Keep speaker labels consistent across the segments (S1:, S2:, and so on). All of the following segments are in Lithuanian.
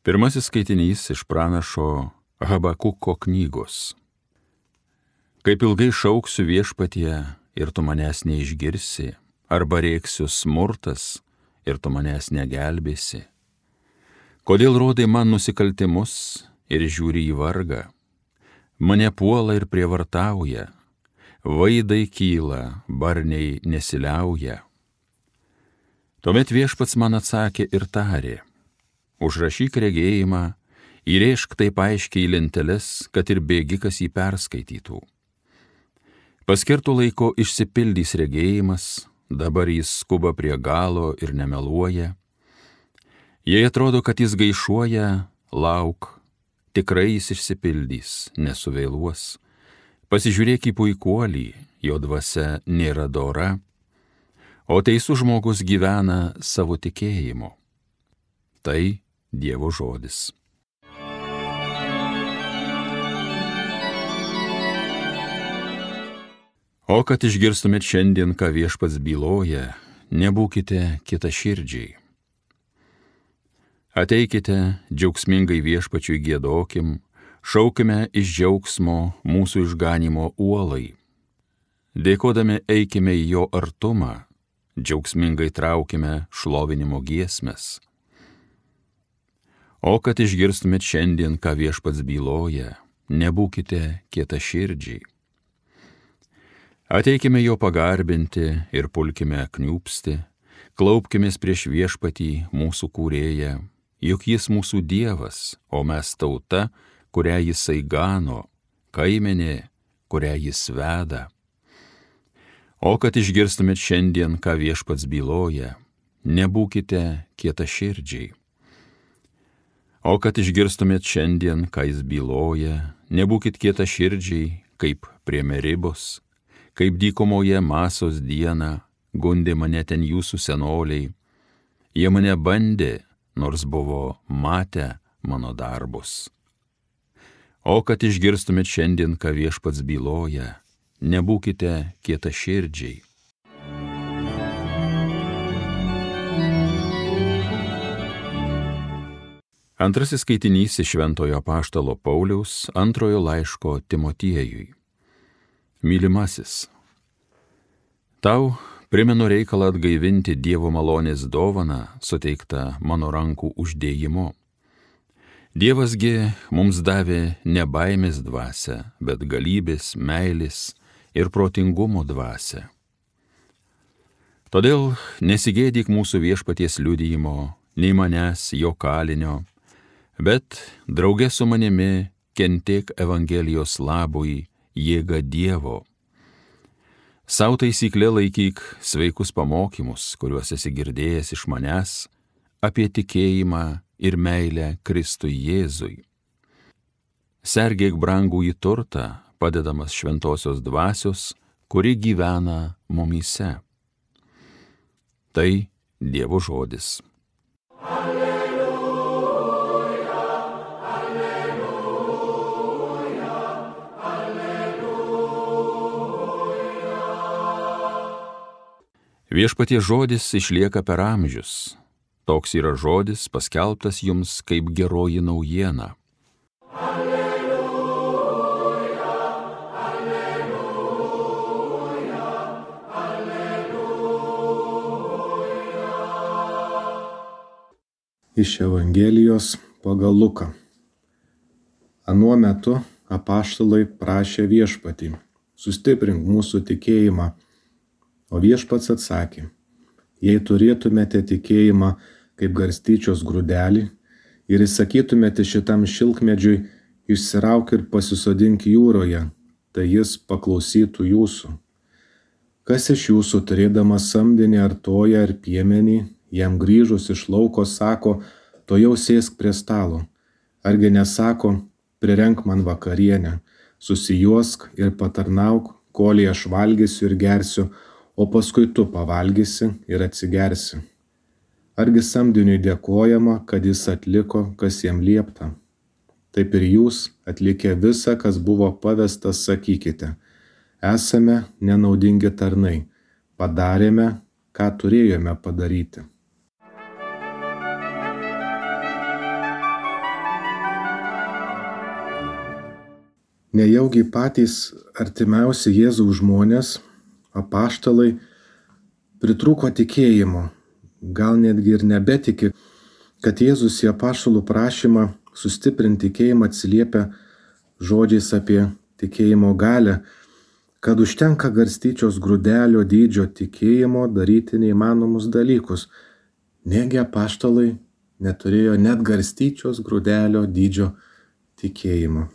S1: Pirmasis skaitinys iš pranašo Habakuko knygos. Kaip ilgai šauksiu viešpatie ir tu manęs neišgirsi, arba rėksiu smurtas ir tu manęs negelbėsi. Kodėl rodai man nusikaltimus ir žiūri į vargą? Mane puola ir prievartauja, vaidai kyla, barniai nesiliauja. Tuomet viešpats man atsakė ir tarė: užrašyk regėjimą, įrėžk taip aiškiai į lenteles, kad ir bėgikas jį perskaitytų. Paskirtų laiko išsipildys regėjimas, dabar jis skuba prie galo ir nemeluoja. Jei atrodo, kad jis gaišuoja, lauk, tikrai jis išsipildys, nesuvėluos. Pasižiūrėk į puikuolį, jo dvasia nėra dora, o teisus žmogus gyvena savo tikėjimu. Tai Dievo žodis. O kad išgirstumėt šiandien, ką viešpats byloja, nebūkite kitaširdžiai. Ateikite, džiaugsmingai viešpačiui giedokim, šaukime iš džiaugsmo mūsų išganimo uolai. Dėkodami eikime į jo artumą, džiaugsmingai traukime šlovinimo giesmes. O kad išgirstumėt šiandien, ką viešpats byloja, nebūkite kietaširdžiai. Ateikime jo pagarbinti ir pulkime kniūpsti, klaupkimės prieš viešpatį mūsų kūrėją, juk jis mūsų Dievas, o mes tauta, kurią jisai gano, kaimenė, kurią jis veda. O kad išgirstumėt šiandien, ką viešpats byloja, nebūkite kietaširdžiai. O kad išgirstumėt šiandien, ką jis byloja, nebūkit kietaširdžiai, kaip prie Meribos, kaip dykumoje Masos dieną, gundė mane ten jūsų senoliai. Jie mane bandė, nors buvo matę mano darbus. O kad išgirstumėt šiandien, ką viešpats byloja, nebūkite kietaširdžiai. Antrasis skaitinys iš Šventojo apaštalo Pauliaus antrojo laiško Timotiejui. Mylimasis, tau primenu reikalą atgaivinti Dievo malonės dovaną, suteiktą mano rankų uždėjimu. Dievasgi mums davė ne baimės dvasią, bet galybės, meilės ir protingumo dvasią. Todėl nesigėdyk mūsų viešpaties liudijimo, nei manęs, jo kalinio, bet drauge su manimi kentėk Evangelijos labui, jėga Dievo. Sau taisyklė laikyk sveikus pamokymus, kuriuos esi girdėjęs iš manęs, apie tikėjimą ir meilę Kristui Jėzui. Sergėk brangųjį turtą, padedamas šventosios dvasios, kuri gyvena mumyse. Tai Dievo žodis. Viešpaties žodis išlieka per amžius. Toks yra žodis paskelbtas jums kaip geroji naujiena.
S2: Alleluja, alleluja, alleluja. Iš Evangelijos pagal Luką. Anuo metu apaštalai prašė viešpatį: sustiprink mūsų tikėjimą. O viešpats atsakė: jei turėtumėte tikėjimą kaip garstyčios grūdelį ir įsakytumėte šitam šilkmedžiui: išsirauk ir pasisodink jūroje, tai jis paklausytų jūsų. Kas iš jūsų, turėdamas samdinį ar toją ar piemenį, jam grįžus iš lauko sako: tuojau sėsk prie stalo? Argi nesako: prirenk man vakarienę, susijuosk ir patarnauk, kolei aš valgysiu ir gersiu, o paskui tu pavalgysi ir atsigersi. Argi samdiniui dėkojama, kad jis atliko, kas jam liepta? Taip ir jūs, atlikę visą, kas buvo pavesta, sakykite: esame nenaudingi tarnai, padarėme, ką turėjome padaryti. Nejaugi patys artimiausi Jėzaus žmonės, apaštalai, pritrūko tikėjimo, gal netgi ir nebetiki, kad Jėzus į apaštalų prašymą sustiprinti tikėjimą atsiliepia žodžiais apie tikėjimo galią, kad užtenka garstyčios grūdelio dydžio tikėjimo daryti neįmanomus dalykus. Negi apaštalai neturėjo net garstyčios grūdelio dydžio tikėjimo.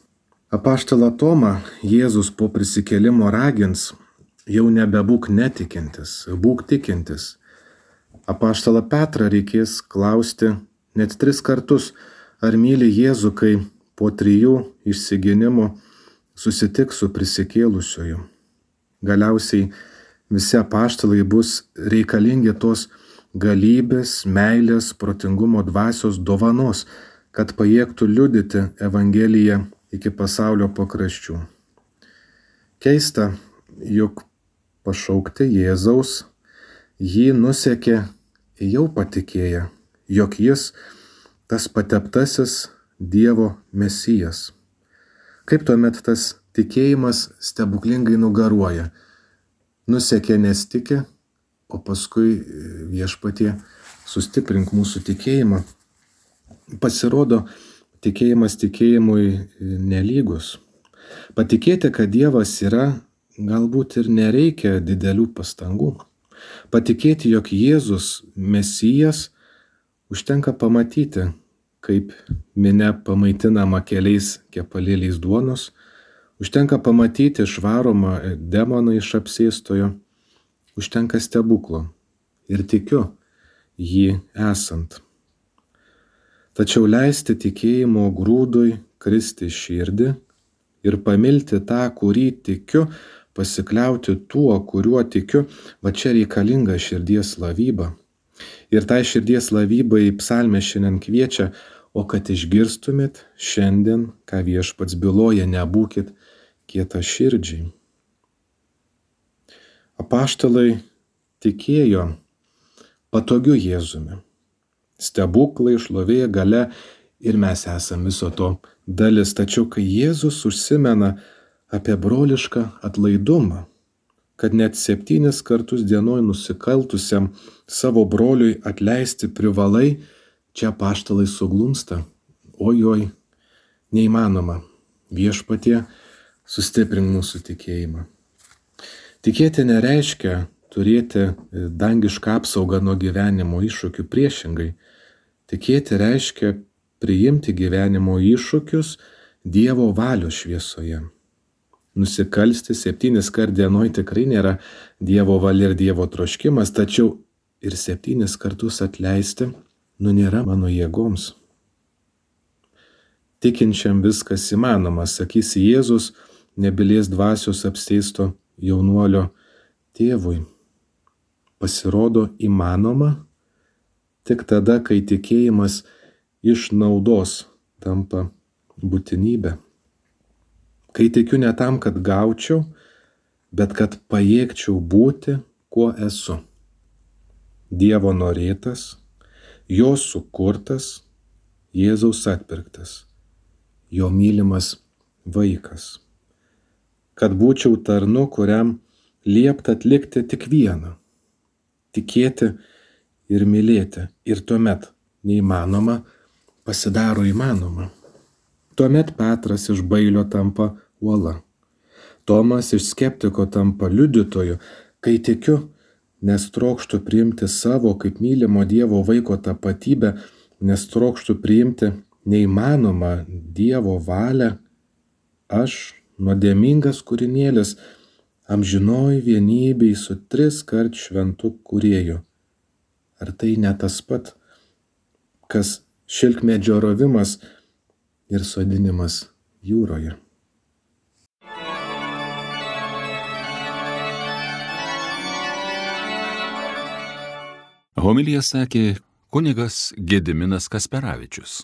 S2: Apaštalą Tomą Jėzus po prisikėlimo ragins jau nebebūk netikintis, būk tikintis. Apaštalą Petrą reikės klausti net 3 kartus, ar myli Jėzų, kai po 3 išsiginimų susitiks su prisikėlusiuoju. Galiausiai visi apaštalai bus reikalingi tos galybės, meilės, protingumo dvasios dovanos, kad pajėgtų liudyti Evangeliją iki pasaulio pakraščių. Keista, juk pašaukti Jėzaus jį nusekė jau patikėję, jog jis tas pateptasis Dievo Mesijas. Kaip tuomet tas tikėjimas stebuklingai nugaruoja? Nusekė nes tiki, o paskui Viešpatie sustiprink mūsų tikėjimą. Pasirodo, tikėjimas tikėjimui nelygus. Patikėti, kad Dievas yra, galbūt ir nereikia didelių pastangų. Patikėti, jog Jėzus Mesijas, užtenka pamatyti, kaip minia pamaitinama keliais kepalėliais duonos, užtenka pamatyti išvaromą demoną iš apsėstojo, užtenka stebuklo ir tikiu jį esant. Tačiau leisti tikėjimo grūdui kristi širdį ir pamilti tą, kurį tikiu, pasikliauti tuo, kuriuo tikiu, va čia reikalinga širdies lavyba. Ir tai širdies lavybai psalmė šiandien kviečia, o kad išgirstumėt šiandien, ką Viešpats byloja, nebūkit kietaširdžiai. Apaštalai tikėjo patogiu Jėzumi. Stebuklai, šlovė, galia ir mes esame viso to dalis. Tačiau kai Jėzus užsimena apie brolišką atlaidumą, kad net 7 kartus dienoj nusikaltusiam savo broliui atleisti privalai, čia apaštalai suglumsta. Ojoj, neįmanoma. Viešpatie, sustiprink mūsų tikėjimą. Tikėti nereiškia turėti dangišką apsaugą nuo gyvenimo iššūkių, priešingai. Tikėti reiškia priimti gyvenimo iššūkius Dievo valios šviesoje. Nusikalsti 7 kart dienoj tikrai nėra Dievo valia ir Dievo troškimas, tačiau ir 7 kartus atleisti, nėra mano jėgoms. Tikinčiam viskas įmanoma, sakys Jėzus, nebylės dvasios apsėsto jaunuolio tėvui. Pasirodo įmanoma tik tada, kai tikėjimas iš naudos tampa būtinybė. Kai tikiu ne tam, kad gaučiau, bet kad pajėgčiau būti, kuo esu. Dievo norėtas, jo sukurtas, Jėzaus atpirktas, jo mylimas vaikas. Kad būčiau tarnu, kuriam liepta atlikti tik vieną – tikėti ir mylėti. Ir tuomet neįmanoma pasidaro įmanoma. Tuomet Petras iš bailio tampa uola. Tomas iš skeptiko tampa liudytoju. Kai tikiu, nes trokštu priimti savo kaip mylimo Dievo vaiko tapatybę, nes trokštu priimti neįmanomą Dievo valią, aš, nuodėmingas kūrinėlis, amžinoj vienybėj su 3-kart šventu kūrėju. Ar tai ne tas pat, kas šilkmedžio rovimas ir sodinimas jūroje?
S1: Homiliją sakė kunigas Gediminas Kasperavičius.